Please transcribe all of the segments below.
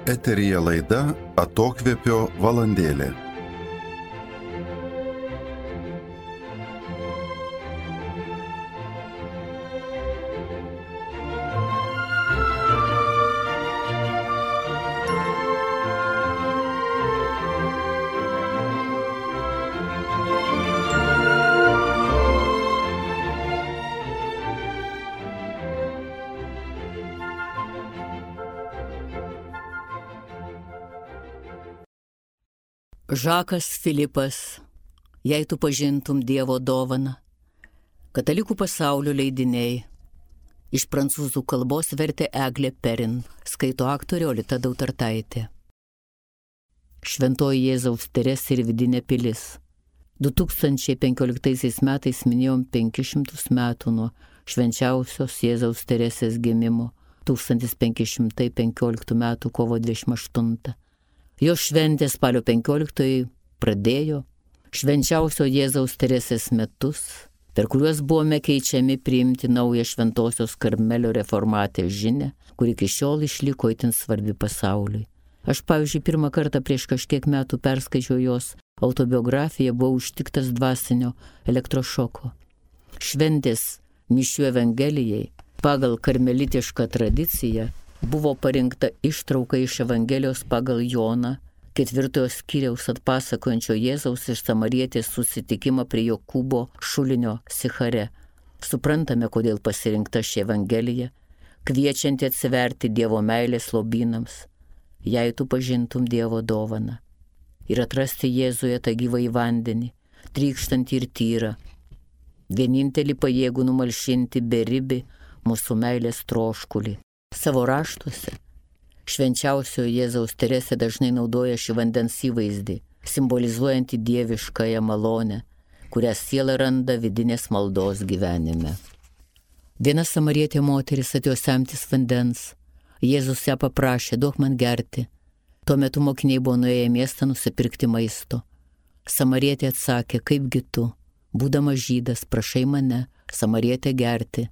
Eteryje laida Atokvėpio valandėlė. Žakas Filipas, jei tu pažintum Dievo dovaną. Katalikų pasaulio leidiniai. Iš prancūzų kalbos vertė Eglė Perin, skaito aktorė Olita Dautartaitė. Šventoji Jėzaus Teresė ir vidinė pilis. 2015 metais minėjom 500 metų nuo švenčiausios Jėzaus Teresės gimimo, 1515 metų kovo 28. Jos šventė spalio 15 pradėjo švenčiausio Jėzaus Teresės metus, per kuriuos buvome keičiami priimti naują šventosios Karmelio reformatės žinią, kuri iki šiol išliko itin svarbi pasauliui. Aš, pavyzdžiui, pirmą kartą prieš kažkiek metų perskaičiau jos autobiografiją, buvau užtiktas dvasinio elektrošoko. Šventės mišių evangelijai pagal karmelitišką tradiciją buvo parinkta ištrauka iš Evangelijos pagal Joną, 4 skyriaus atpasakojančio Jėzaus ir samarietės susitikimą prie Jokūbo šulinio Sichare. Suprantame, kodėl pasirinkta ši Evangelija, kviečianti atsiverti Dievo meilės lobynams, jei tu pažintum Dievo dovaną, ir atrasti Jėzuje tą gyvąjį vandenį, trykštantį ir tyrą, vienintelį pajėgų numalšinti beribį mūsų meilės troškulį. Savo raštuose švenčiausiojo Jėzaus Teresė dažnai naudoja šį vandens įvaizdį, simbolizuojantį dieviškąją malonę, kurią siela randa vidinės maldos gyvenime. Viena samarietė moteris atėjo semtis vandens. Jėzus ją paprašė, duok man gerti. Tuo metu mokiniai buvo nuėję į miestą nusipirkti maisto. Samarietė atsakė, kaipgi tu, būdamas žydas, prašai mane, samarietę, gerti.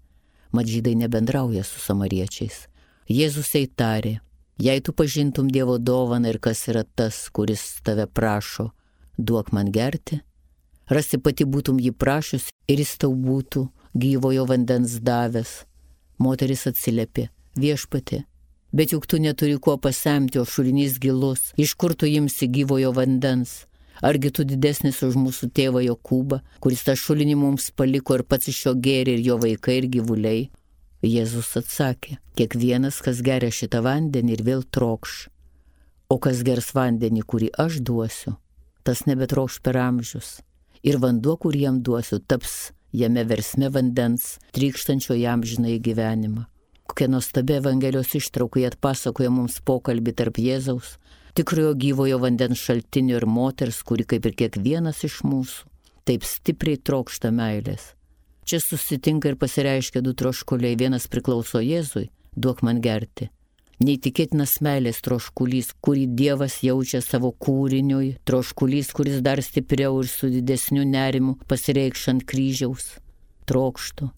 Mat žydai nebendrauja su samariečiais. Jėzus jai tarė, jei tu pažintum Dievo dovaną ir kas yra tas, kuris tave prašo, duok man gerti, rasi pati būtum jį prašius ir jis tau būtų gyvojo vandens davęs. Moteris atsiliepė, viešpatie, bet juk tu neturi kuo pasemti, o šulinys gilus, iš kur tu imsi gyvojo vandens? Argi tu didesnis už mūsų tėvą Jokūbą, kuris tą šulinį mums paliko ir pats iš jo gėrė ir jo vaikai ir gyvuliai? Jėzus atsakė, kiekvienas, kas geria šitą vandenį ir vėl trokš, o kas gers vandenį, kurį aš duosiu, tas nebetrokš per amžius, ir vanduo, kurį jam duosiu, taps jame versme vandens, trykštančio jam žinai gyvenimą. Kokia nuostabi Evangelijos ištrauka atpasakoja mums pokalbį tarp Jėzaus, tikrojo gyvojo vandens šaltinio ir moters, kuri kaip ir kiekvienas iš mūsų, taip stipriai trokšta meilės. Čia susitinka ir pasireiškia du troškuliai, vienas priklauso Jėzui, duok man gerti. Neįtikėtinas meilės troškulys, kurį Dievas jaučia savo kūriniui, troškulys, kuris dar stipriau ir su didesniu nerimu pasireikš ant kryžiaus. Trokštu.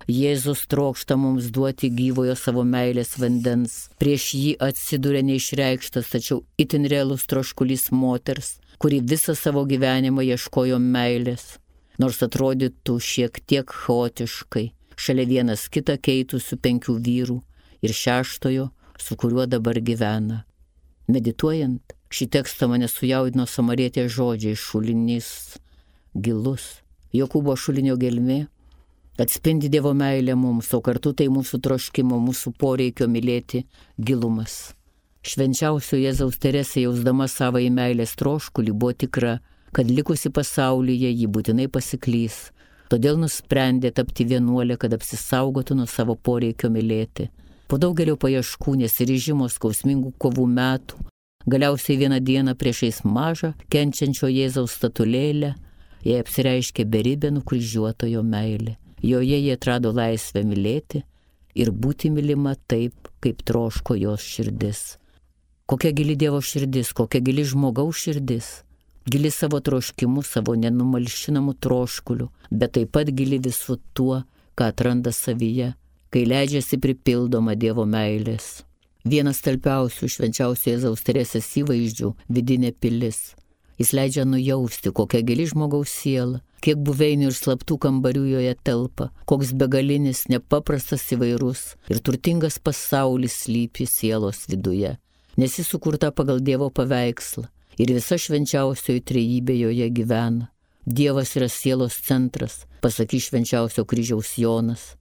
Jėzus trokšta mums duoti gyvojo savo meilės vandens. Prieš jį atsiduria neišreikštas, tačiau itin realus troškulys moters, kuri visą savo gyvenimą ieškojo meilės. Nors atrodytų šiek tiek chaotiškai, šalia vienas kitą keitusių 5 vyrų ir 6, su kuriuo dabar gyvena. Medituojant, šį tekstą mane sujaudino samarietės žodžiai, šulinys gilus. Jokūbo šulinio gelmė atspindi Dievo meilę mums, o kartu tai mūsų troškimo, mūsų poreikio mylėti gilumas. Švenčiausio Jėzaus Teresė, jausdama savąjį meilės troškulį, buvo tikra, kad likusi pasaulyje ji būtinai pasiklys, todėl nusprendė tapti vienuolė, kad apsisaugotų nuo savo poreikio mylėti. Po daugelio paieškų, nesiryžimo, skausmingų kovų metų, galiausiai vieną dieną priešais mažą, kenčiančio Jėzaus statulėlę, jai apsireiškė beribė nukryžiuotojo meilė. Joje jie atrado laisvę mylėti ir būti mylima taip, kaip troško jos širdis. Kokia gili Dievo širdis, kokia gili žmogaus širdis. Gili savo troškimu, savo nenumalšinamu troškuliu, bet taip pat gili visu tuo, ką atranda savyje, kai leidžiasi pripildoma Dievo meilės. Vienas talpiausių švenčiausio Jėzaus Teresės įvaizdžių - vidinė pilis. Jis leidžia nujausti, kokia gili žmogaus siela, kiek buveinių ir slaptų kambarių joje telpa, koks begalinis, nepaprastas įvairus ir turtingas pasaulis slypi sielos viduje, nes jis sukurta pagal Dievo paveikslą ir visa švenčiausioji trejybė joje gyvena. Dievas yra sielos centras, pasakys švenčiausio kryžiaus Jonas.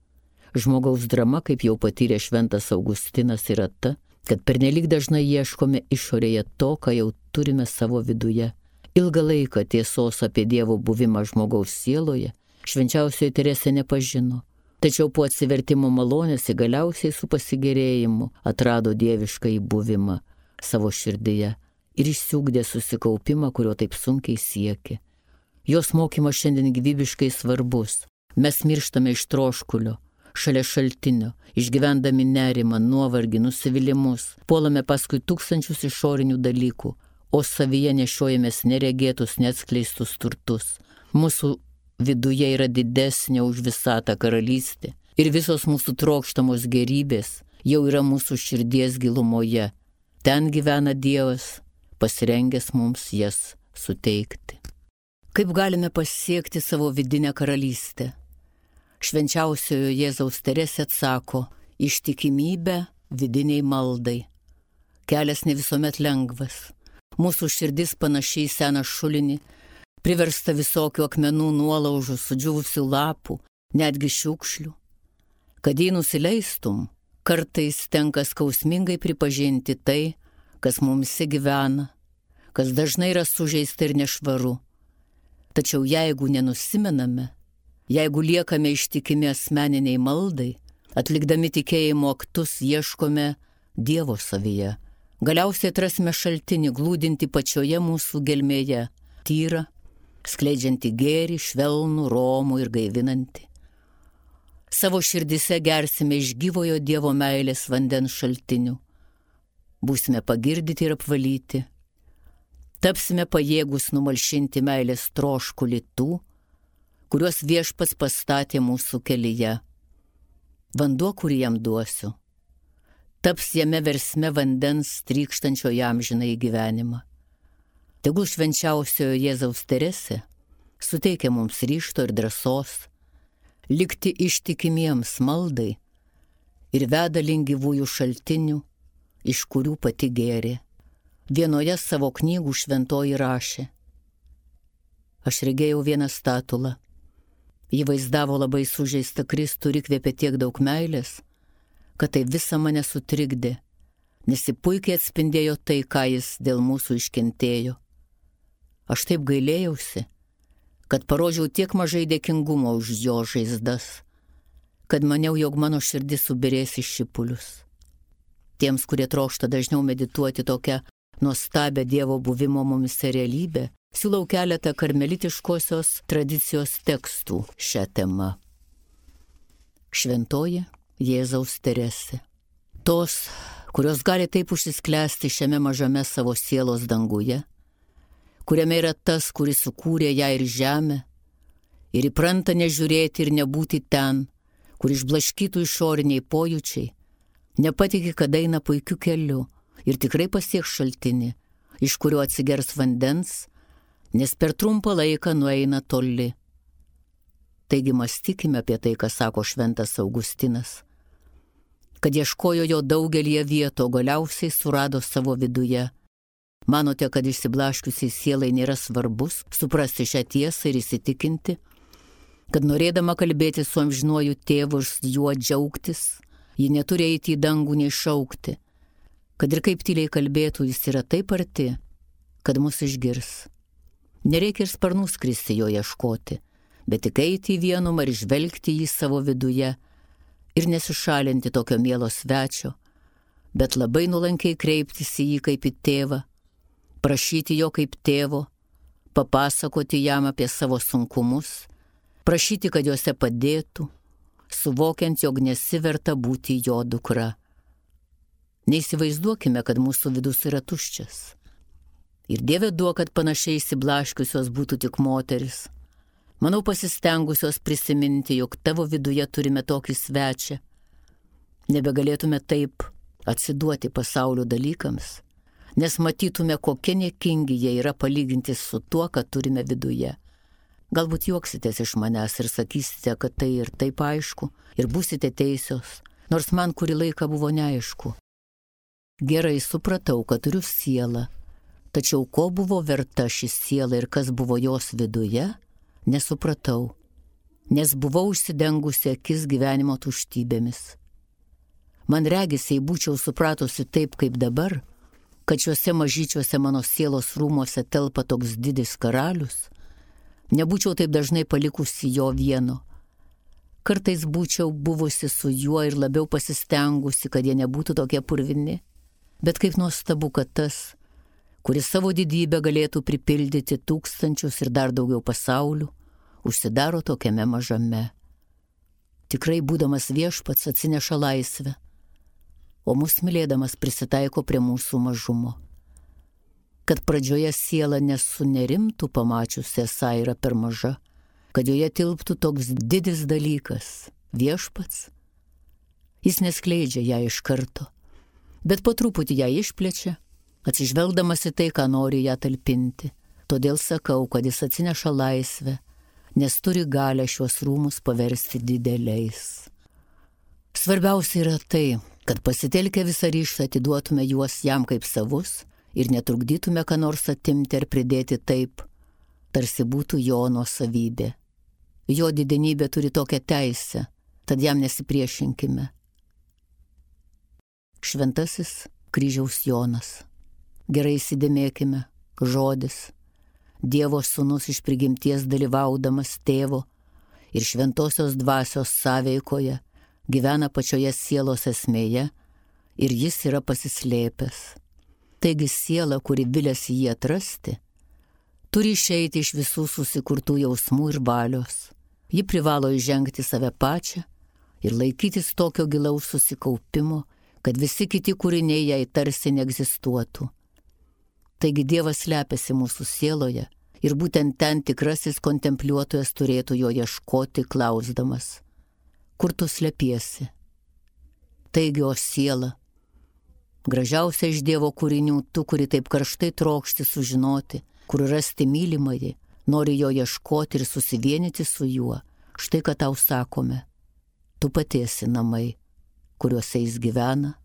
Žmogaus drama, kaip jau patyrė šventas Augustinas, yra ta, kad pernelyg dažnai ieškome išorėje to, ką jau turime savo viduje. Ilgą laiką tiesos apie Dievo buvimą žmogaus sieloje švenčiausioji Teresė nepažino, tačiau po atsivertimo malonės galiausiai su pasigėrėjimu atrado dieviškąjį buvimą savo širdyje ir išsiugdė susikaupimą, kurio taip sunkiai siekė. Jos mokymas šiandien gyvybiškai svarbus. Mes mirštame iš troškulio, šalia šaltinio, išgyvendami nerimą, nuovargį, nusivylimus, puolame paskui tūkstančius išorinių dalykų, o savyje nešiojamės neregėtus, neatskleistus turtus. Mūsų viduje yra didesnė už visatą karalystė ir visos mūsų trokštamos gerybės jau yra mūsų širdies gilumoje. Ten gyvena Dievas, pasirengęs mums jas suteikti. Kaip galime pasiekti savo vidinę karalystę? Švenčiausiojo Jėzaus Teresė atsako: ištikimybė vidiniai maldai. Kelias ne visuomet lengvas. Mūsų širdis panašiai į seną šulinį, priversta visokių akmenų, nuolaužų, sudžiūvusių lapų, netgi šiukšlių. Kad jį nusileistum, kartais tenka skausmingai pripažinti tai, kas mumise gyvena, kas dažnai yra sužeista ir nešvaru. Tačiau jeigu nenusimename, jeigu liekame ištikimi asmeniniai maldai, atlikdami tikėjimo aktus ieškome Dievo savyje, galiausiai atrasime šaltinį glūdinti pačioje mūsų gelmėje, tyrą, skleidžianti gėrį, švelnų, romų ir gaivinantį. Savo širdise gersime iš gyvojo Dievo meilės vandens šaltinių. Būsime pagirdyti ir apvalyti. Tapsime pajėgus numalšinti meilės troškulį tų, kuriuos Viešpats pastatė mūsų kelyje. Vanduo, kurį jam duosiu, taps jame versme vandens trykštančio amžinąjį gyvenimą. Tegul švenčiausiojo Jėzaus Teresė suteikia mums ryžto ir drąsos likti ištikimiems maldai ir veda link gyvųjų šaltinių, iš kurių pati gėrė. Vienoje savo knygų šventoji rašė: aš regėjau vieną statulą. Ji vaizdavo labai sužeistą Kristų ir įkvėpė tiek daug meilės, kad tai visą mane sutrikdė, nes ji puikiai atspindėjo tai, ką jis dėl mūsų iškentėjo. Aš taip gailėjausi, kad parodžiau tiek mažai dėkingumo už jo žaizdas, kad maniau, jog mano širdis subirės į šipulius. Tiems, kurie trokšta dažniau medituoti tokią nuostabią Dievo buvimo mumise realybę, siūlau keletą karmelitiškosios tradicijos tekstų šią temą. Šventoji Jėzaus Teresė. Tos, kurios gali taip užsisklęsti šiame mažame savo sielos danguje, kuriame yra tas, kuris sukūrė ją ir žemę, ir įpranta nežiūrėti ir nebūti ten, kur išblaškytų išoriniai pojūčiai, nepatiki, kad eina puikiu keliu ir tikrai pasieks šaltinį, iš kurio atsigers vandens, nes per trumpą laiką nueina toli. Taigi mąstykime apie tai, ką sako šventas Augustinas, kad ieškojo jo daugelį vietų, galiausiai surado savo viduje. Manote, kad išsiblaškiusiai sielai nėra svarbus suprasti šią tiesą ir įsitikinti, kad norėdama kalbėti su amžinuoju tėvu ir juo džiaugtis, ji neturi eiti į dangų nei šaukti, kad ir kaip tyliai kalbėtų, jis yra taip arti, kad mus išgirs. Nereikia ir sparnų skristi jo ieškoti, bet tik eiti į vienumą ir žvelgti jį savo viduje ir nesišalinti tokio mielo svečio, bet labai nuolankiai kreiptis į jį kaip į tėvą, prašyti jo kaip tėvo, papasakoti jam apie savo sunkumus, prašyti, kad juose padėtų, suvokiant, jog nesiverta būti jo dukra. Neįsivaizduokime, kad mūsų vidus yra tuščias. Ir Dieve duok, kad panašiai įsiblaškiusios būtų tik moteris. Manau, pasistengusios prisiminti, jog tavo viduje turime tokį svečią. Nebegalėtume taip atsiduoti pasaulio dalykams, nes matytume, kokie niekingi jie yra palyginti su tuo, ką turime viduje. Galbūt juoksitės iš manęs ir sakysite, kad tai ir taip aišku, ir būsite teisios, nors man kurį laiką buvo neaišku. Gerai supratau, kad turiu sielą, tačiau ko buvo verta ši siela ir kas buvo jos viduje, nesupratau, nes buvau užsidengusi akis gyvenimo tuštybėmis. Man regis, jei būčiau supratusi taip kaip dabar, kad šiuose mažyčiuose mano sielos rūmuose telpa toks didis karalius, nebūčiau taip dažnai palikusi jo vieno. Kartais būčiau buvusi su juo ir labiau pasistengusi, kad jie nebūtų tokie purvini. Bet kaip nuostabu, kad tas, kuris savo didybę galėtų pripildyti tūkstančius ir dar daugiau pasaulių, užsidaro tokiame mažame. Tikrai būdamas viešpats atsineša laisvę, o mus mylėdamas prisitaiko prie mūsų mažumo. Kad pradžioje siela nesunerimtų pamačiusi esą yra per maža, kad joje tilptų toks didis dalykas – viešpats. Jis neskleidžia ją iš karto, bet po truputį ją išplečia, atsižvelgdamas į tai, ką nori ją talpinti. Todėl sakau, kad jis atsineša laisvę, nes turi galę šiuos rūmus paversti dideliais. Svarbiausia yra tai, kad pasitelkę visą ryžtą atiduotume juos jam kaip savus ir netrukdytume ką nors atimti ar pridėti taip, tarsi būtų jo nuosavybė. Jo didenybė turi tokią teisę, tad jam nesipriešinkime. Šventasis kryžiaus Jonas. Gerai įsidėmėkime, žodis. Dievo sūnus iš prigimties dalyvaudamas tėvo ir šventosios dvasios sąveikoje gyvena pačioje sielos esmėje ir jis yra pasislėpęs. Taigi siela, kuri viliasi jį atrasti, turi išeiti iš visų susikurtų jausmų ir valios. Ji privalo įžengti save pačią ir laikytis tokio gilaus susikaupimo, kad visi kiti kūriniai jai tarsi neegzistuotų. Taigi Dievas slepiasi mūsų sieloje ir būtent ten tikrasis kontempliuotojas turėtų jo ieškoti, klausdamas: kur tu slepiesi? Taigi, o siela, gražiausia iš Dievo kūrinių, tu, kuri taip karštai trokšti sužinoti, kur rasti mylimąjį, nori jo ieškoti ir susivienyti su juo, štai ką tau sakome: tu pati esi namai, kuriuose jis gyvena,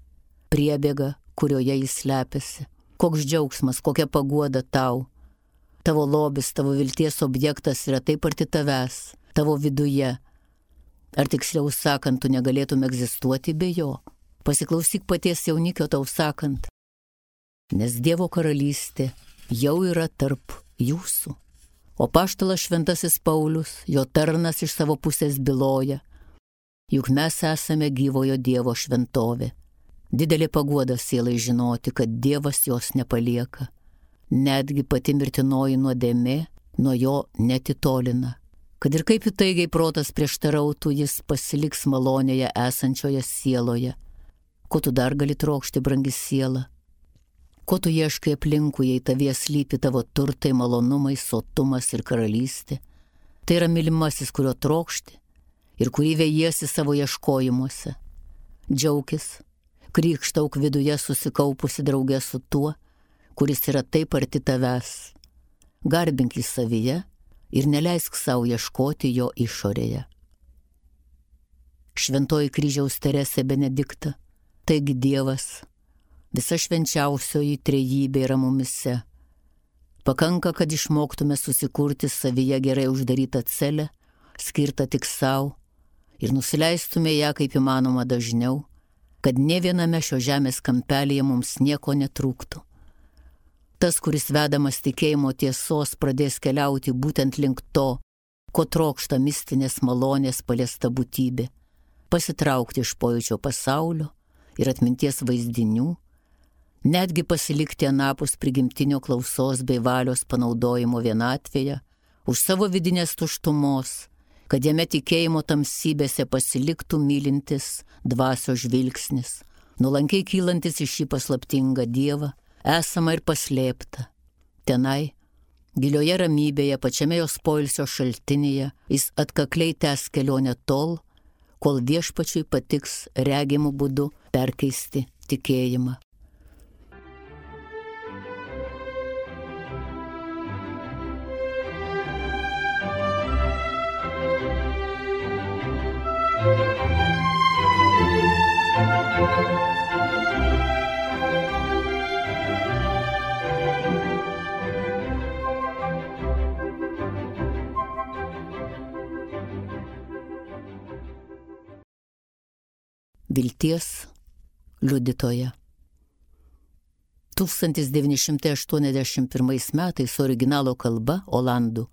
priebėga, kurioje jis slepiasi. Koks džiaugsmas, kokia paguoda tau. Tavo lobis, tavo vilties objektas yra taip arti tavęs, tavo viduje. Ar tiksliau sakant, tu negalėtum egzistuoti be jo? Pasiklausyk paties jaunikio tau sakant. Nes Dievo karalystė jau yra tarp jūsų. O apaštalas šventasis Paulius, jo tarnas iš savo pusės byloja: juk mes esame gyvojo Dievo šventovė. Didelė paguoda sielai žinoti, kad Dievas jos nepalieka. Netgi pati mirtinoji nuodėmė nuo jo netitolina. Kad ir kaip įtaigiai protas prieštarautų, jis pasiliks malonėje esančioje sieloje. Ko tu dar gali trokšti, brangi siela? Ko tu ieškai aplinkui, jei tavyje slypi tavo turtai, malonumai, sotumas ir karalystė? Tai yra mylimasis, kurio trokšti ir kurį vejiesi savo ieškojimuose. Džiaukis, krykštauk viduje susikaupusi draugė su tuo, kuris yra taip arti tavęs. Garbink jį savyje ir neleisk savo ieškoti jo išorėje. Šventoji kryžiaus Teresė Benedikta, taigi Dievas, visa švenčiausioji trejybė yra mumise. Pakanka, kad išmoktume susikurti savyje gerai uždarytą celę, skirtą tik savo, ir nusileistume ją kaip įmanoma dažniau, kad ne viename šio žemės kampelyje mums nieko netrūktų. Tas, kuris vedamas tikėjimo tiesos, pradės keliauti būtent link to, ko trokšta mistinės malonės paliesta būtybė, pasitraukti iš pojūčio pasaulio ir atminties vaizdinių, netgi pasilikti anapus prigimtinio klausos bei valios panaudojimo vienatvėje, už savo vidinės tuštumos, kad jame tikėjimo tamsybėse pasiliktų mylintis dvasios žvilgsnis, nuolankiai kylantis į šį paslaptingą Dievą, esama ir paslėpta. Tenai, gilioje ramybėje, pačiame jos poilsio šaltinyje, jis atkakliai tęs kelionę tol, kol viešpačiui patiks regimų būdu perkeisti tikėjimą. Vilties liudytoja. 1981 metais originalo kalba olandų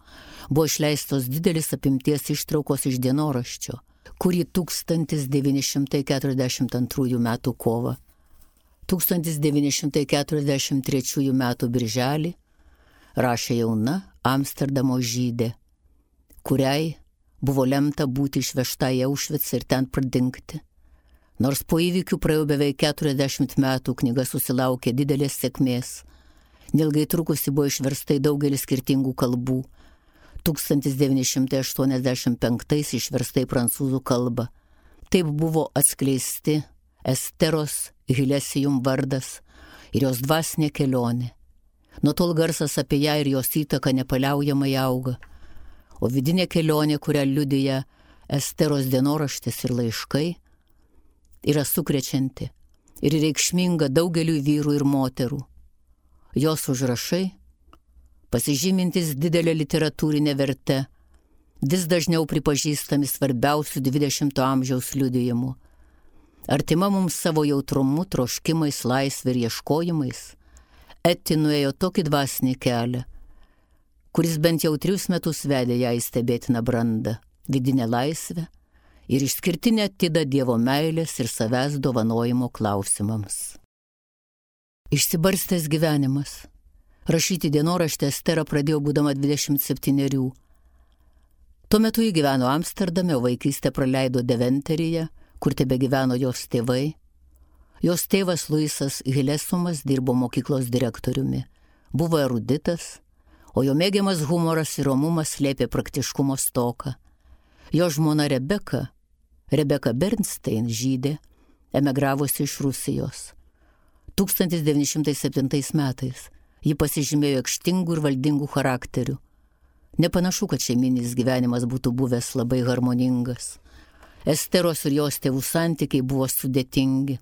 buvo išleistos didelis apimties ištraukos iš dienoraščio, kurį 1942 metų kovą, 1943 metų birželį rašė jauna Amsterdamo žydė, kuriai buvo lemta būti išvežta į Aušvicą ir ten pradingti. Nors po įvykių praėjo beveik 40 metų, knyga susilaukė didelės sėkmės. Neilgai trukusi buvo išversta į daugelį skirtingų kalbų. 1985 išversta į prancūzų kalbą. Taip buvo atskleisti Esteros Hilesijum vardas ir jos dvasinė kelionė. Nuo tol garsas apie ją ir jos įtaką nepaliaujamai auga. O vidinė kelionė, kurią liudija Esteros dienoraštis ir laiškai, yra sukrečianti ir reikšminga daugeliui vyrų ir moterų. Jos užrašai, pasižymintis didelę literatūrinę vertę, vis dažniau pripažįstami svarbiausių 20 amžiaus liudijimų. Artima mums savo jautrumu, troškimais, laisvė ir ieškojimais, Eti nuėjo tokį dvasinį kelią, kuris bent jau 3 metus vedė ją į stebėtiną brandą, vidinę laisvę ir išskirtinę atidą Dievo meilės ir savęs dovanojimo klausimams. Išsibarstęs gyvenimas. Rašyti dienoraštį Estera pradėjo būdama 27. Tuo metu ji gyveno Amsterdame, o vaikystę praleido Deventeryje, kur tebegyveno jos tėvai. Jos tėvas Luisas Hilesumas dirbo mokyklos direktoriumi, buvo eruditas, o jo mėgiamas humoras ir romumas slėpė praktiškumo stoką. Jo žmona Rebeka Bernstein, žydė, emigravusi iš Rusijos. 1907 metais ji pasižymėjo aikštingų ir valdingų charakterių. Nepanašu, kad šeiminis gyvenimas būtų buvęs labai harmoningas. Esteros ir jos tėvų santykiai buvo sudėtingi.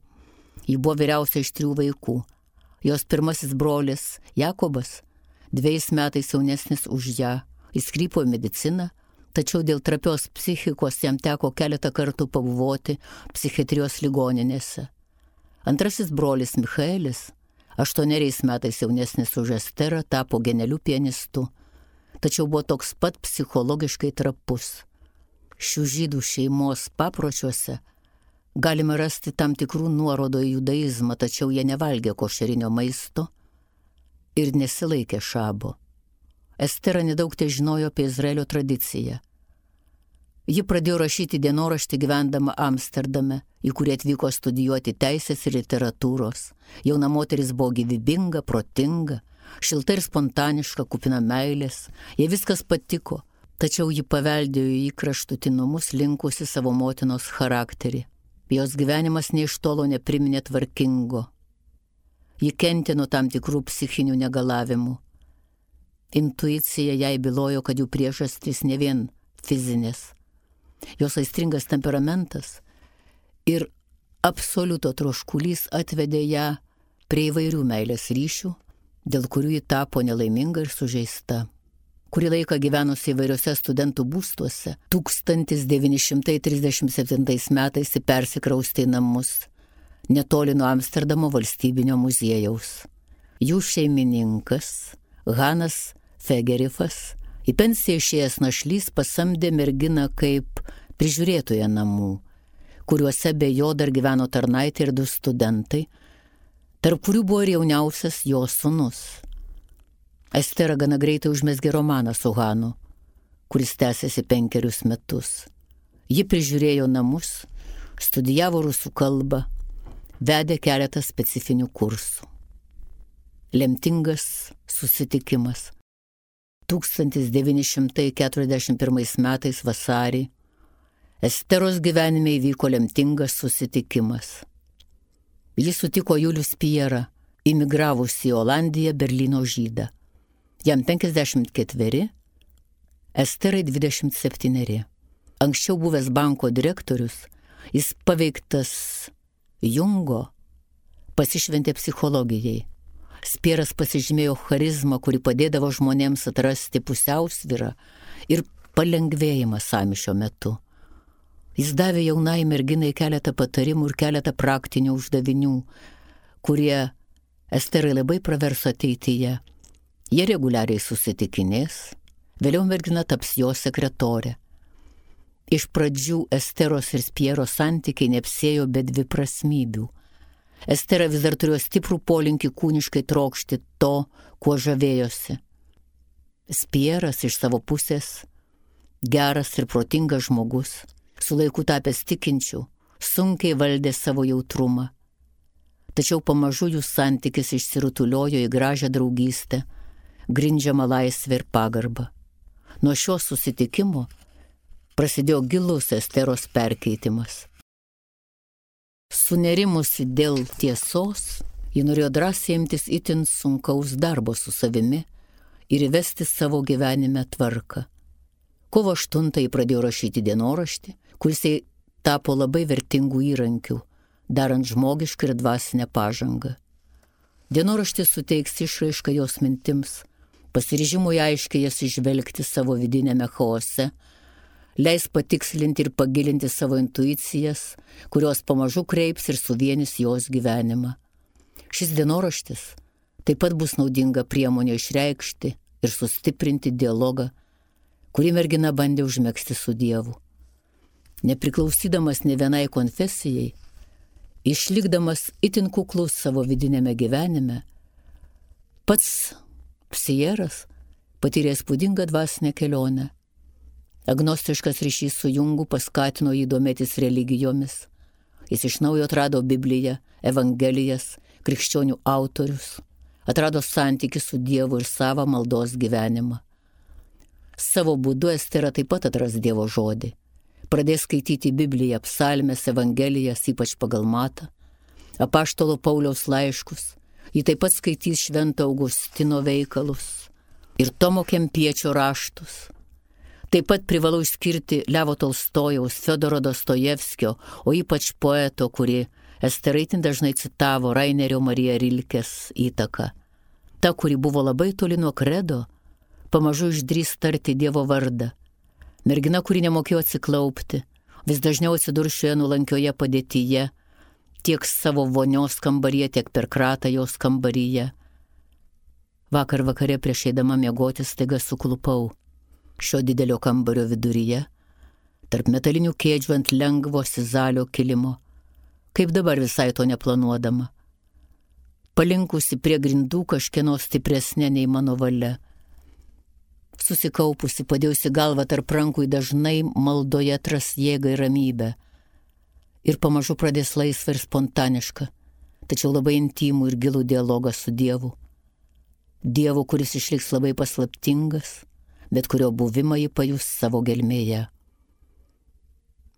Ji buvo vyriausia iš 3 vaikų. Jos pirmasis brolis Jakobas 2 metais jaunesnis už ją. Jis krypo į mediciną, tačiau dėl trapios psichikos jam teko keletą kartų pabuvoti psichiatrijos ligoninėse. Antrasis brolis Michaelis, 8 metais jaunesnis už Esterą, tapo genialiu pianistu, tačiau buvo toks pat psichologiškai trapus. Šių žydų šeimos papročiuose galime rasti tam tikrų nuorodų į judaizmą, tačiau jie nevalgė košerinio maisto ir nesilaikė šabo. Estera nedaug težinojo apie Izraelio tradiciją. Ji pradėjo rašyti dienoraštį gyvendama Amsterdame, į kurį atvyko studijuoti teisės ir literatūros. Jauna moteris buvo gyvybinga, protinga, šilta ir spontaniška, kupina meilės. Jai viskas patiko, tačiau ji paveldėjo į kraštutinumus linkusi savo motinos charakterį. Jos gyvenimas nei iš tolo nepriminė tvarkingo. Ji kentė nuo tam tikrų psichinių negalavimų. Intuicija jai bylojo, kad jų priežastys ne vien fizinės. Jos aistringas temperamentas ir absoliuto troškulys atvedė ją prie įvairių meilės ryšių, dėl kurių ji tapo nelaiminga ir sužeista. Kurį laiką gyvenusi įvairiuose studentų būstuose, 1937 metais persikraustė į namus, netoli nuo Amsterdamo valstybinio muziejaus. Jų šeimininkas, Hanas Fegerifas, į pensiją išėjęs našlys pasamdė merginą kaip prižiūrėtoją namų, kuriuose be jo dar gyveno tarnaitė ir 2 studentai, tarp kurių buvo ir jauniausias jo sūnus. Estera gana greitai užmezgė romaną su Hanu, kuris tęsėsi 5 metus. Ji prižiūrėjo namus, studijavo rusų kalbą, vedė keletą specifinių kursų. Lemtingas susitikimas. 1941 metais vasarį Esteros gyvenime įvyko lemtingas susitikimas. Jis sutiko Julių Spierą, imigravusį į Olandiją Berlyno žydą. Jam 54, Esterai 27. Anksčiau buvęs banko direktorius, jis paveiktas Jungo, pasišventė psichologijai. Spieras pasižymėjo charizmą, kuri padėdavo žmonėms atrasti pusiausvyrą ir palengvėjimą sąmyšio metu. Jis davė jaunai merginai keletą patarimų ir keletą praktinių uždavinių, kurie Esterai labai praverso ateityje. Jie reguliariai susitikinės, vėliau mergina taps jo sekretorė. Iš pradžių Esteros ir Spiero santykiai neapsėjo be dviprasmybių. Estera vis dar turėjo stiprų polinkį kūniškai trokšti to, kuo žavėjosi. Spieras iš savo pusės, geras ir protingas žmogus, su laiku tapęs tikinčiu, sunkiai valdė savo jautrumą. Tačiau pamažu jų santykis išsirutuliojo į gražią draugystę, grindžiamą laisvę ir pagarbą. Nuo šio susitikimo prasidėjo gilus Esteros perkeitimas. Sunerimusi dėl tiesos, ji norėjo drąsiai imtis itin sunkaus darbo su savimi ir įvesti savo gyvenime tvarką. Kovo 8 ji pradėjo rašyti dienoraštį, kuris jai tapo labai vertingų įrankių, darant žmogišką ir dvasinę pažangą. Dienoraštis suteiks išraišką jos mintims, pasiryžimui aiškiai jas išvelgti savo vidinėme chaose, leis patikslinti ir pagilinti savo intuicijas, kurios pamažu kreips ir suvienys jos gyvenimą. Šis dienoraštis taip pat bus naudinga priemonė išreikšti ir sustiprinti dialogą, kurį mergina bandė užmegzti su Dievu. Nepriklausydamas ne vienai konfesijai, išlikdamas itin kuklus savo vidinėme gyvenime, pats Psieras patyrė įspūdingą dvasinę kelionę. Agnostiškas ryšys su Jungu paskatino jį domėtis religijomis. Jis iš naujo atrado Bibliją, Evangelijas, krikščionių autorius, atrado santykį su Dievu ir savo maldos gyvenimą. Savo būdu Estera taip pat atras Dievo žodį. Pradės skaityti Bibliją, psalmes, Evangelijas, ypač pagal Matą, apaštalo Pauliaus laiškus. Ji taip pat skaitys Švento Augustino veikalus ir Tomo Kempiečio raštus. Taip pat privalau išskirti Levo Tolstojaus, Fiodoro Dostojevskio, o ypač poeto, kurį Estera itin dažnai citavo, Rainerio Marija Rilkės įtaką. Ta, kuri buvo labai toli nuo kredo, pamažu išdrįs tarti Dievo vardą. Mergina, kuri nemokėjo atsiklaupti, vis dažniau atsidurs šioje nulankioje padėtyje, tiek savo vonios kambaryje, tiek per kratą jos kambaryje. Vakar vakare prieš eidama miegoti staiga suklupau šio didelio kambario viduryje, tarp metalinių kėdžių ant lengvo sizalio kilimo, kaip dabar visai to neplanuodama. Palinkusi prie grindų kažkieno stipresnė nei mano valia. Susikaupusi, padėjusi galvą tarp rankų, dažnai maldoje atras jėgą ir ramybę. Ir pamažu pradės laisvą ir spontanišką, tačiau labai intimų ir gilų dialogą su Dievu. Dievu, kuris išliks labai paslaptingas, bet kurio buvimą ji pajus savo gelmėje.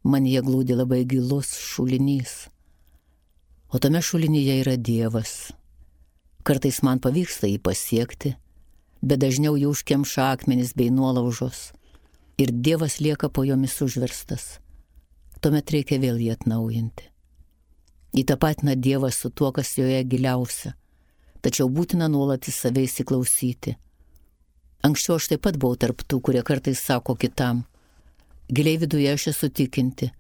Manyje glūdi labai gilus šulinys, o tame šulinyje yra Dievas. Kartais man pavyksta jį pasiekti, bet dažniau jį užkemša akmenys bei nuolaužos ir Dievas lieka po jomis užverstas. Tuomet reikia vėl jį atnaujinti. Įtapatina Dievas su tuo, kas joje giliausia, tačiau būtina nuolat į save įsiklausyti. Anksčiau aš taip pat buvau tarp tų, kurie kartais sako kitam, giliai viduje aš esu tikinti,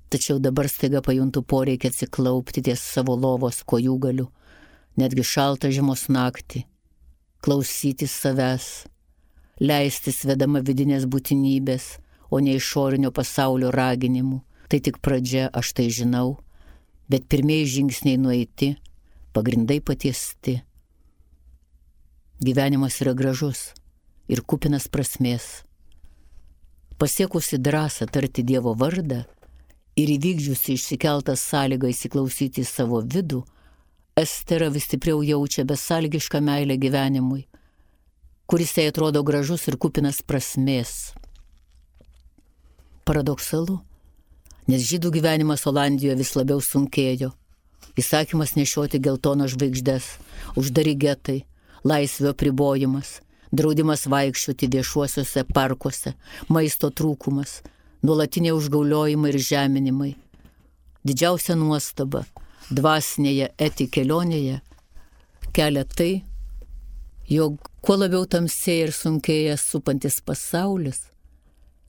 tačiau dabar staiga pajuntu poreikį atsiklaupti ties savo lovos kojūgaliu, netgi šaltą žiemos naktį, klausytis savęs, leistis vedama vidinės būtinybės, o ne išorinio pasaulio raginimų. Tai tik pradžia, aš tai žinau, bet pirmieji žingsniai nueiti, pagrindai patiesti. Gyvenimas yra gražus ir kupinas prasmės. Pasiekusi drąsą tarti Dievo vardą ir įvykdžiusi išsikeltą sąlygą įsiklausyti į savo vidų, Estera vis stipriau jaučia besąlygišką meilę gyvenimui, kuris jai atrodo gražus ir kupinas prasmės. Paradoksalu, nes žydų gyvenimas Olandijoje vis labiau sunkėjo. įsakymas nešioti geltonas žvaigždes, uždari getai, laisvių apribojimas, draudimas vaikščioti viešuosiuose parkuose, maisto trūkumas, nuolatiniai užgauliojimai ir žeminimai. Didžiausia nuostaba dvasinėje kelionėje kelia tai, jog kuo labiau tamsėja ir sunkėja supantis pasaulis,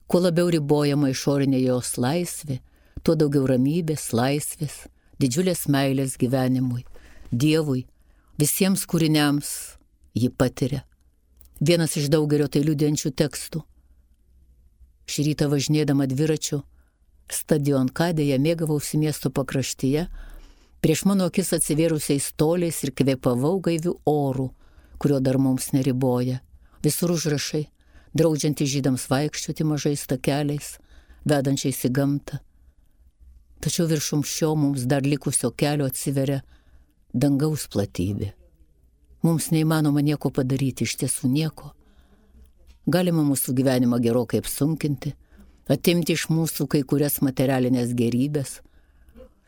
kuo labiau ribojama išorinė jos laisvė, tuo daugiau ramybės, laisvės, didžiulės meilės gyvenimui, Dievui, visiems kūriniams ji patiria. Vienas iš daugelio tai liudijančių tekstų. Šį rytą važinėdama dviračiu stadionkadėje mėgavausi miesto pakraštyje, prieš mano akis atsivėrusiais toliais ir kvėpavau gaivių orų, kurio dar mums neriboja. Visur užrašai, draudžiantys žydams vaikščioti mažais takeliais, vedančiais į gamtą. Tačiau viršum šio mums dar likusio kelio atsiveria dangaus platybė. Mums neįmanoma nieko padaryti, iš tiesų nieko. Galima mūsų gyvenimą gerokai apsunkinti, atimti iš mūsų kai kurias materialinės gerybės,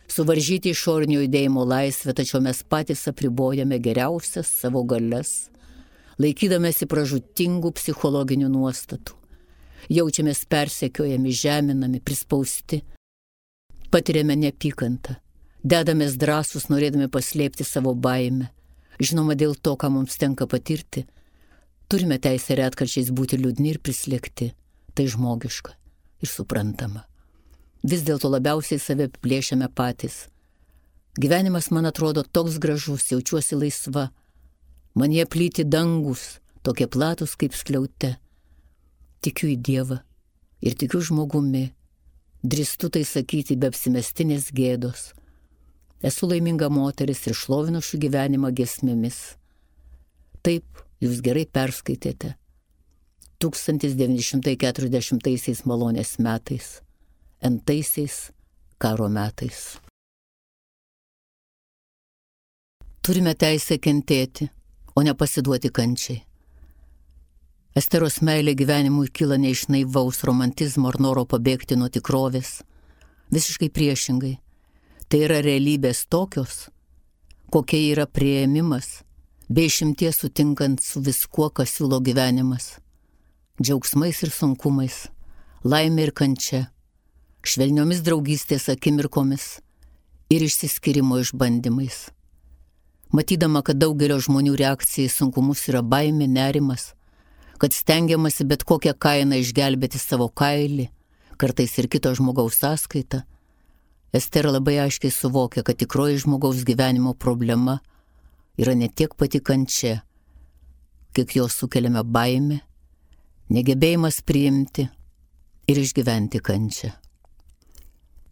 suvaržyti išorinio judėjimo laisvę, tačiau mes patys apribojame geriausias savo galias, laikydamėsi pražūtingų psichologinių nuostatų. Jaučiamės persekiojami, žeminami, prispausti, patiriame neapykantą, dedamės drąsus, norėdami paslėpti savo baimę. Žinoma, dėl to, ką mums tenka patirti, turime teisę retkarčiais būti liūdni ir prislėgti. Tai žmogiška ir suprantama. Vis dėlto labiausiai save plėšiame patys. Gyvenimas man atrodo toks gražus, jaučiuosi laisva. Man jie plyti dangus, tokie platus kaip skliaute. Tikiu į Dievą ir tikiu žmogumi. Drįstu tai sakyti be apsimestinės gėdos. Esu laiminga moteris ir šlovinu šių gyvenimą giesmėmis. Taip, jūs gerai perskaitėte. 1940 malonės metais, N-taisiais karo metais. Turime teisę kentėti, o ne pasiduoti kančiai. Esteros meilė gyvenimui kyla ne iš naivaus romantizmo ar noro pabėgti nuo tikrovės. Visiškai priešingai. Tai yra realybės tokios, kokia yra priėmimas, be išimties sutinkant su viskuo, kas siūlo gyvenimas. Džiaugsmais ir sunkumais, laimė ir kančia, švelniomis draugystės akimirkomis ir išsiskyrimo išbandymais. Matydama, kad daugelio žmonių reakcija į sunkumus yra baimė, nerimas, kad stengiamasi bet kokią kainą išgelbėti savo kailį, kartais ir kito žmogaus sąskaitą, Estera labai aiškiai suvokia, kad tikroji žmogaus gyvenimo problema yra ne tiek pati kančia, kiek jo sukeliame baimę, negebėjimas priimti ir išgyventi kančią.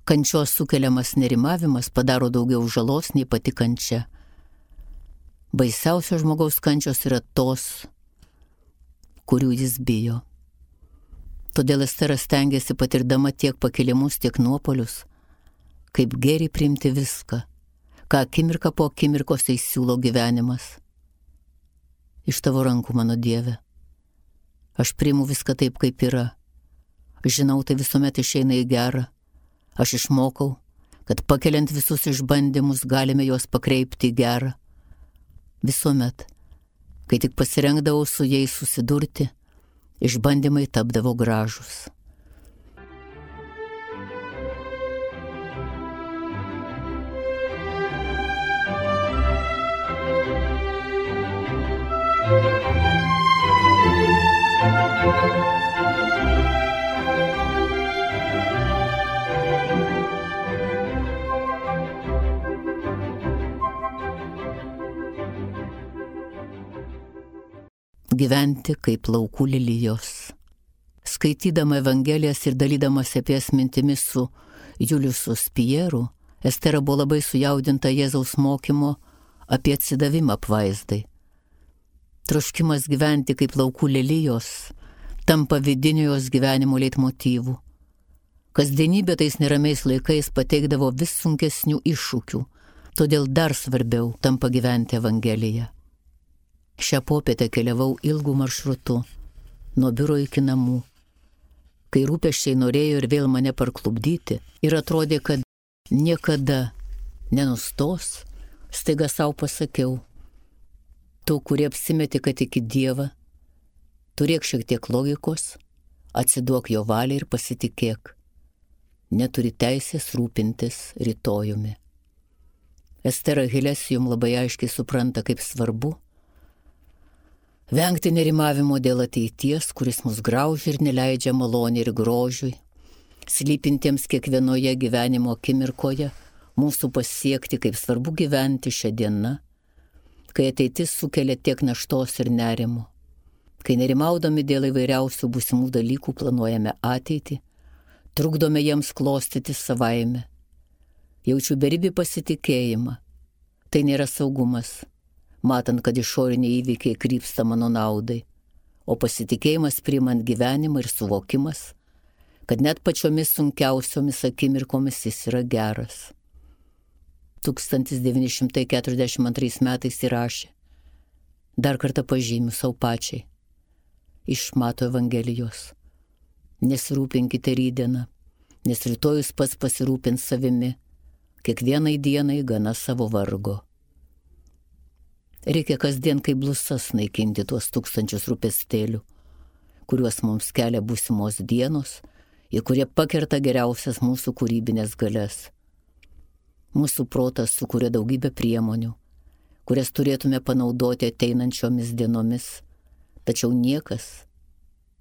Kančios sukeliamas nerimavimas padaro daugiau žalos nei pati kančia. Baisiausios žmogaus kančios yra tos, kurių jis bijo. Todėl Estera stengiasi patirdama tiek pakilimus, tiek nuopolius, kaip geriai priimti viską, ką akimirką po akimirkos įsiūlo gyvenimas. Iš tavo rankų, mano Dieve. Aš priimu viską taip, kaip yra. Žinau, tai visuomet išeina į gerą. Aš išmokau, kad pakeliant visus išbandymus galime juos pakreipti į gerą. Visuomet, kai tik pasirengdavau su jais susidurti, išbandymai tapdavo gražus. Gyventi kaip laukų lilijos. Skaitydama Evangelijas ir dalydamasi apie jas mintimis su Juliusu Spieru, Estera buvo labai sujaudinta Jėzaus mokymo apie atsidavimą apvaizdai. Troškimas gyventi kaip laukų lilijos tampa vidiniu jos gyvenimo leitmotyvu. Kasdienybė tais neramiais laikais pateikdavo vis sunkesnių iššūkių, todėl dar svarbiau tampa gyventi Evangeliją. Šią popietę keliavau ilgų maršrutų, nuo biuro iki namų, kai rūpesčiai norėjo ir vėl mane parklupdyti ir atrodė, kad niekada nenustos, staiga savo pasakiau. Tu, kurie apsimeti, kad iki Dievą, turėk šiek tiek logikos, atsiduok jo valiai ir pasitikėk. Neturi teisės rūpintis rytojumi. Estera Hilesium labai aiškiai supranta, kaip svarbu vengti nerimavimo dėl ateities, kuris mus graužia ir neleidžia malonė ir grožiui, slypintiems kiekvienoje gyvenimo akimirkoje, mūsų pasiekti, kaip svarbu gyventi šią dieną, kai ateitis sukelia tiek naštos ir nerimo, kai nerimaudami dėl įvairiausių būsimų dalykų planuojame ateitį, trukdome jiems klostyti savaime. Jaučiu beribį pasitikėjimą. Tai nėra saugumas, matant, kad išoriniai įvykiai krypsta mano naudai, o pasitikėjimas priimant gyvenimą ir suvokimas, kad net pačiomis sunkiausiomis akimirkomis jis yra geras. 1942 metais įrašė, dar kartą pažymiu savo pačiai, iš Mato Evangelijos. Nesirūpinkite rytdieną, nes rytojus pats pasirūpins savimi, kiekvienai dienai gana savo vargo. Reikia kasdien kaip blusas naikinti tuos tūkstančius rūpestėlių, kuriuos mums kelia būsimos dienos ir kurie pakerta geriausias mūsų kūrybinės galias. Mūsų protas sukuria daugybę priemonių, kurias turėtume panaudoti ateinančiomis dienomis, tačiau niekas,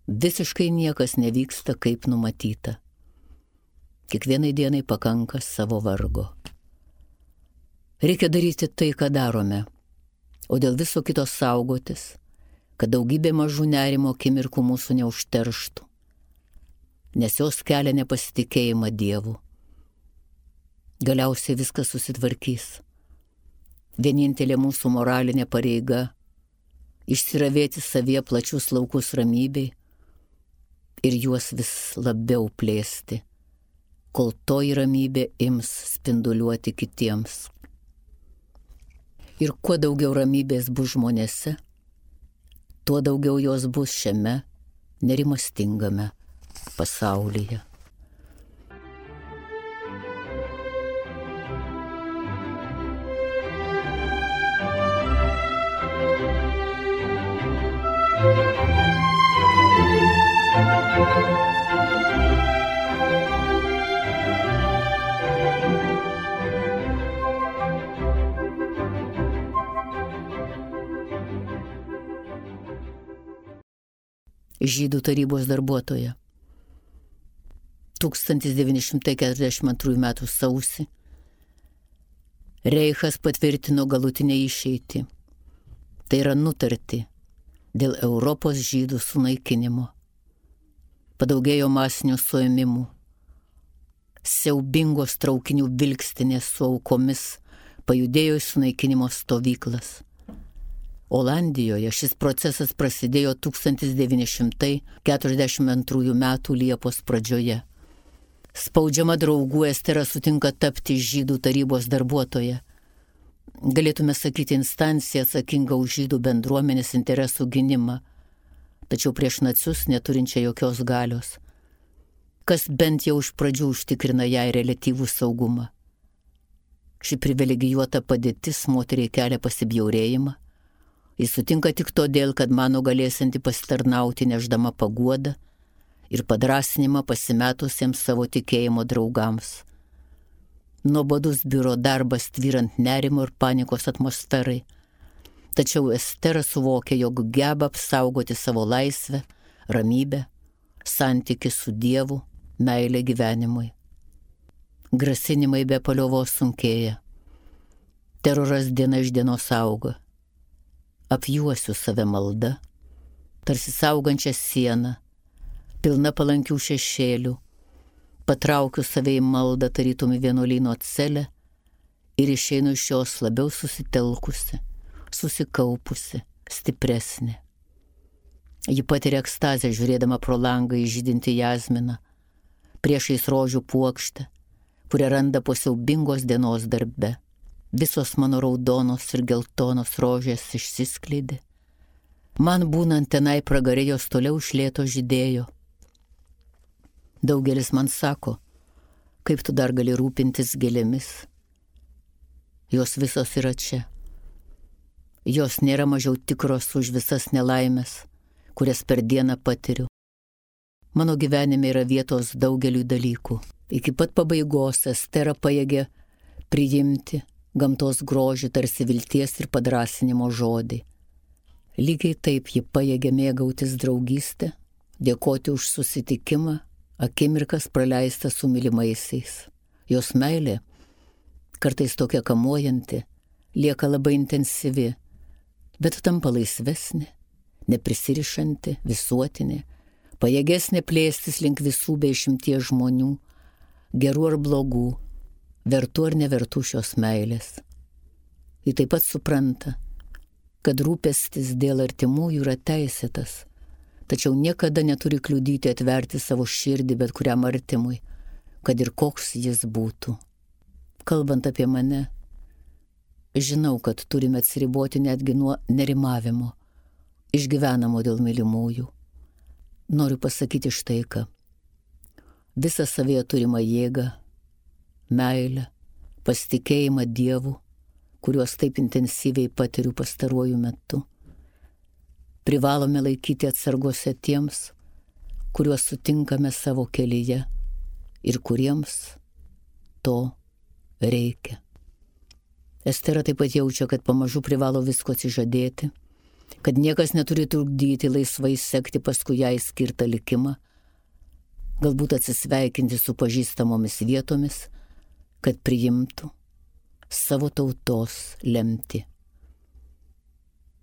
visiškai niekas nevyksta kaip numatyta. Kiekvienai dienai pakanka savo vargo. Reikia daryti tai, ką darome, o dėl viso kito saugotis, kad daugybė mažų nerimo akimirkų mūsų neužterštų, nes jos kelia nepasitikėjimą Dievu. Galiausiai viskas susitvarkys. Vienintelė mūsų moralinė pareiga – išsiravėti savyje plačius laukus ramybei ir juos vis labiau plėsti, kol toji ramybė ims spinduliuoti kitiems. Ir kuo daugiau ramybės bus žmonėse, tuo daugiau jos bus šiame nerimastingame pasaulyje. Žydų tarybos darbuotoja. 1942 m. sausį Reichas patvirtino galutinę išeitį, tai yra nutartį dėl Europos žydų sunaikinimo. Padaugėjo masinių suėmimų, siaubingos traukinių vilkstinės su aukomis pajudėjo į sunaikinimo stovyklas. Olandijoje šis procesas prasidėjo 1942 m. Liepos pradžioje. Spaudžiama draugų Estera sutinka tapti žydų tarybos darbuotoja. Galėtume sakyti instanciją atsakingą už žydų bendruomenės interesų gynimą, tačiau prieš nacius neturinčią jokios galios, kas bent jau iš pradžių užtikrina jai reliatyvų saugumą. Ši privilegijuota padėtis moteriai kelia pasibjaurėjimą. Jis sutinka tik todėl, kad mano galėsianti pasitarnauti nešdama paguodą ir padrasinimą pasimetusiems savo tikėjimo draugams. Nuobodus biuro darbas tvyrant nerimo ir panikos atmosferai, tačiau Estera suvokia, jog geba apsaugoti savo laisvę, ramybę, santykį su Dievu, meilę gyvenimui. Grasinimai be paliovos sunkėja. Teroras diena iš dienos auga. Apjuosiu save malda, tarsi saugančią sieną, pilna palankių šešėlių, patraukiu save į maldą tarytum į vienuolyno celę ir išeinu iš jos labiau susitelkusi, susikaupusi, stipresnė. Ji patiria ekstazę žiūrėdama pro langą į žydintį jazminą, priešais rožių puokštę, kurią randa po siaubingos dienos darbe. Visos mano raudonos ir geltonos rožės išsiskleidė. Man būnant tenai pragare jos toliau iš lėto žydėjo. Daugelis man sako, kaip tu dar gali rūpintis gėlėmis. jos visos yra čia. Jos nėra mažiau tikros už visas nelaimės, kurias per dieną patiriu. Mano gyvenime yra vietos daugeliui dalykų. Iki pat pabaigos Estera pajėgė priimti gamtos grožį tarsi vilties ir padrąsinimo žodį. Lygiai taip ji pajėgė mėgautis draugystę, dėkoti už susitikimą, akimirkas praleistą su mylimaisiais. Jos meilė, kartais tokia kamuojanti, lieka labai intensyvi, bet tampa laisvesnė, neprisirišanti, visuotinė, pajėgesnė plėstis link visų be išimties žmonių, gerų ar blogų, vertų ar nevertų šios meilės. Ji taip pat supranta, kad rūpestis dėl artimųjų yra teisėtas, tačiau niekada neturi kliudyti atverti savo širdį bet kuriam artimui, kad ir koks jis būtų. Kalbant apie mane, žinau, kad turime atsiriboti netgi nuo nerimavimo, išgyvenamo dėl mylimųjų. Noriu pasakyti štai ką. Visą savyje turimą jėgą, meilę, pasitikėjimą Dievu, kuriuos taip intensyviai patiriu pastaruoju metu, privalome laikyti atsargose tiems, kuriuos sutinkame savo kelyje ir kuriems to reikia. Estera taip pat jaučia, kad pamažu privalo visko atsižadėti, kad niekas neturi trukdyti laisvai sekti paskui jai skirtą likimą, galbūt atsisveikinti su pažįstamomis vietomis, kad priimtų savo tautos lemtį.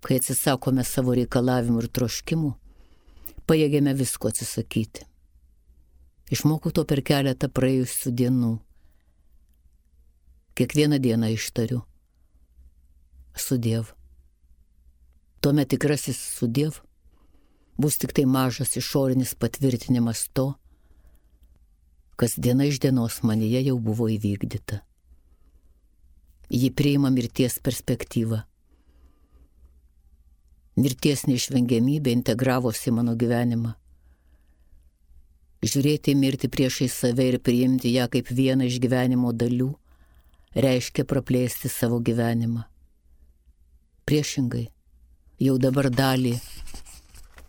Kai atsisakome savo reikalavimų ir troškimų, pajėgėme visko atsisakyti. Išmokau to per keletą praėjusių dienų. Kiekvieną dieną ištariu sudiev. Tuomet tikrasis sudiev bus tik tai mažas išorinis patvirtinimas to, kas diena iš dienos manyje jau buvo įvykdyta. Ji priima mirties perspektyvą. Mirties neišvengiamybė integravosi mano gyvenimą. Žiūrėti į mirtį priešai save ir priimti ją kaip vieną iš gyvenimo dalių reiškia praplėsti savo gyvenimą. Priešingai, jau dabar dalį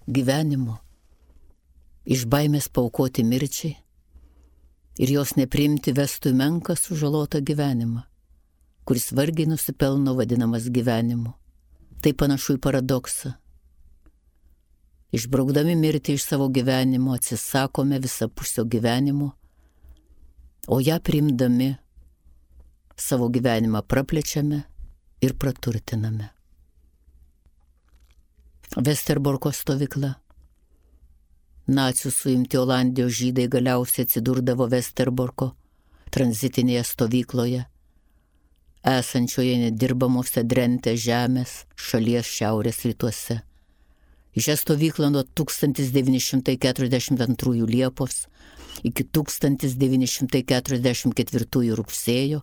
gyvenimo iš baimės paaukoti mirčiai ir jos nepriimti vestų į menką sužalotą gyvenimą, kuris vargiai nusipelno vadinamas gyvenimu. Tai panašu į paradoksą. Išbraukdami mirtį iš savo gyvenimo atsisakome visapusio gyvenimo, o ją priimdami savo gyvenimą praplečiame ir praturtiname. Vesterborko stovykla. Nacių suimti Olandijos žydai galiausiai atsidurdavo Vesterborko tranzitinėje stovykloje, esančioje nedirbamuose Drente žemės šalies šiaurės rytuose. Į šią stovyklą nuo 1942 Liepos iki 1944 rugsėjo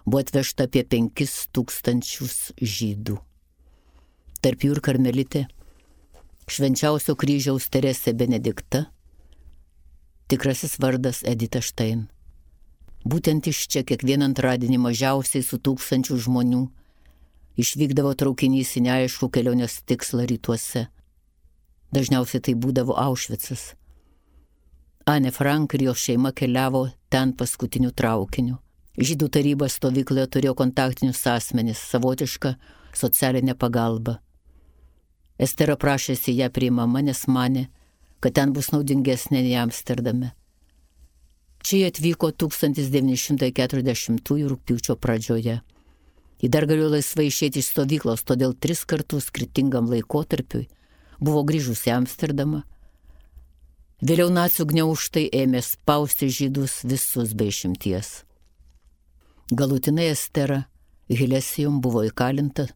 buvo atvežta apie 5000 žydų. Tarp jų ir karmelitė, švenčiausio kryžiaus Teresė Benedikta, tikrasis vardas Edita Štain. Būtent iš čia kiekvieną antradienį mažiausiai su 1000 žmonių išvykdavo traukinys į neaiškų kelionės tikslą rytuose. Dažniausiai tai būdavo Aušvicas. Anne Frank ir jo šeima keliavo ten paskutiniu traukiniu. Žydų taryba stovykloje turėjo kontaktinius asmenis, savotišką socialinę pagalbą. Estera prašėsi ją priimama, nes manė, kad ten bus naudingesnė nei Amsterdame. Čia jie atvyko 1940 rugpjūčio pradžioje. Ji dar galėjo laisvai išėti iš stovyklos, todėl 3 kartus skirtingam laikotarpiui buvo grįžusi į Amsterdamą. Vėliau nacių gniaužtai ėmė spausti žydus visus be išimties. Galutinai Estera Hilesijum buvo įkalinta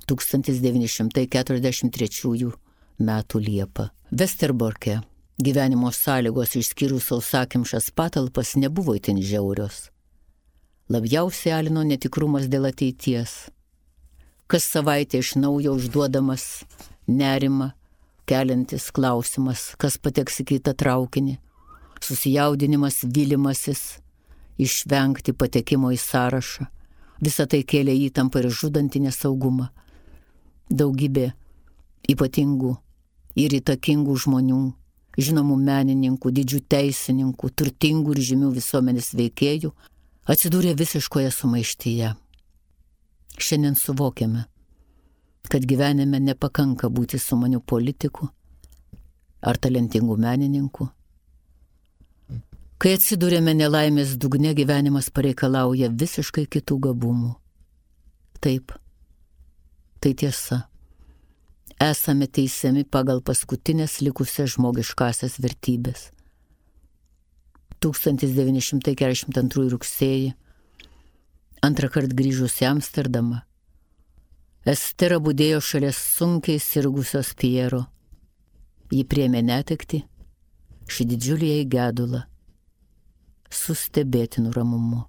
1943 metų Liepą. Vesterborke gyvenimo sąlygos išskyrus sausakimšas patalpas nebuvo itin žiaurios. Labiausiai alino netikrumas dėl ateities. Kas savaitę iš naujo užduodamas nerimą, keliantis klausimas, kas pateks į kitą traukinį, susijaudinimas, vylimasis, išvengti patekimo į sąrašą, Visa tai kėlė įtampą ir žudantį nesaugumą. Daugybė ypatingų ir įtakingų žmonių, žinomų menininkų, didžių teisininkų, turtingų ir žymių visuomenės veikėjų atsidūrė visiškoje sumaištyje. Šiandien suvokiame, kad gyvenime nepakanka būti sumanių politikų ar talentingų menininkų. Kai atsidūrėme nelaimės dugne, gyvenimas pareikalauja visiškai kitų gabumų. Taip, tai tiesa. Esame teisiami pagal paskutinės likusias žmogiškasias vertybės. 1942 rugsėjį, antrą kartą grįžus į Amsterdamą, Estera budėjo šalia sunkiai sirgusios Piero. Ji priėmė netektį, šį didžiulį jai gedulą, su stebėtinu ramumu.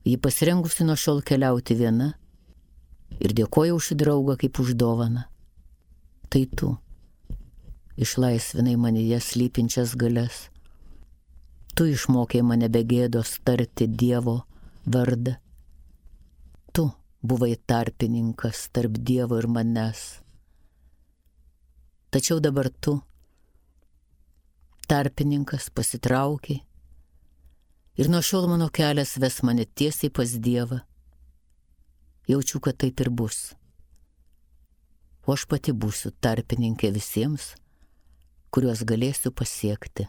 Ji pasirengusi nuo šiol keliauti viena ir dėkoja už šį draugą kaip už dovaną. Tai tu išlaisvinai manyje slypinčias galias. Tu išmokei mane be gėdos tarti Dievo vardą. Tu buvai tarpininkas tarp Dievo ir manęs. Tačiau dabar tu, tarpininkas, pasitraukiai ir nuo šiol mano kelias ves mane tiesiai pas Dievą. Jaučiu, kad taip ir bus. O aš pati būsiu tarpininkė visiems, kuriuos galėsiu pasiekti.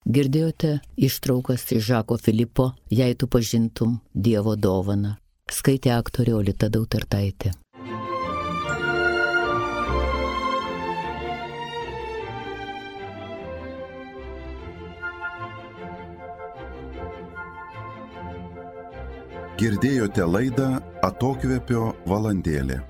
Girdėjote ištraukas iš Žako Filipo Jei tu pažintum Dievo dovaną. Skaitė aktorė Olita Dautartaitė. Girdėjote laidą Atokvėpio valandėlė.